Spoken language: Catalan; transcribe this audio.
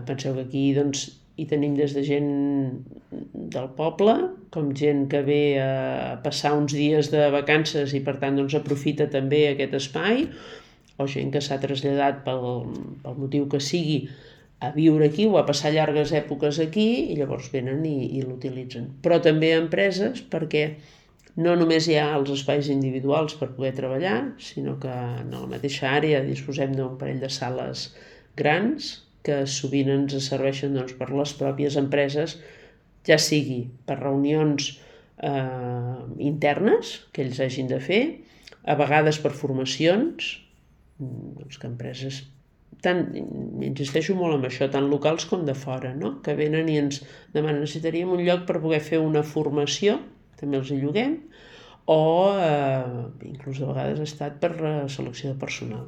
Penseu que aquí doncs, hi tenim des de gent del poble, com gent que ve a passar uns dies de vacances i per tant doncs, aprofita també aquest espai, o gent que s'ha traslladat pel motiu que sigui a viure aquí o a passar llargues èpoques aquí i llavors venen i l'utilitzen. Però també empreses perquè no només hi ha els espais individuals per poder treballar, sinó que en la mateixa àrea disposem d'un parell de sales grans que sovint ens serveixen doncs, per les pròpies empreses, ja sigui per reunions internes que ells hagin de fer, a vegades per formacions, doncs que empreses, insisteixo molt en això, tant locals com de fora, no? Que venen i ens demanen necessitaríem un lloc per poder fer una formació, també els hi lloguem, o inclús a vegades ha estat per selecció de personal.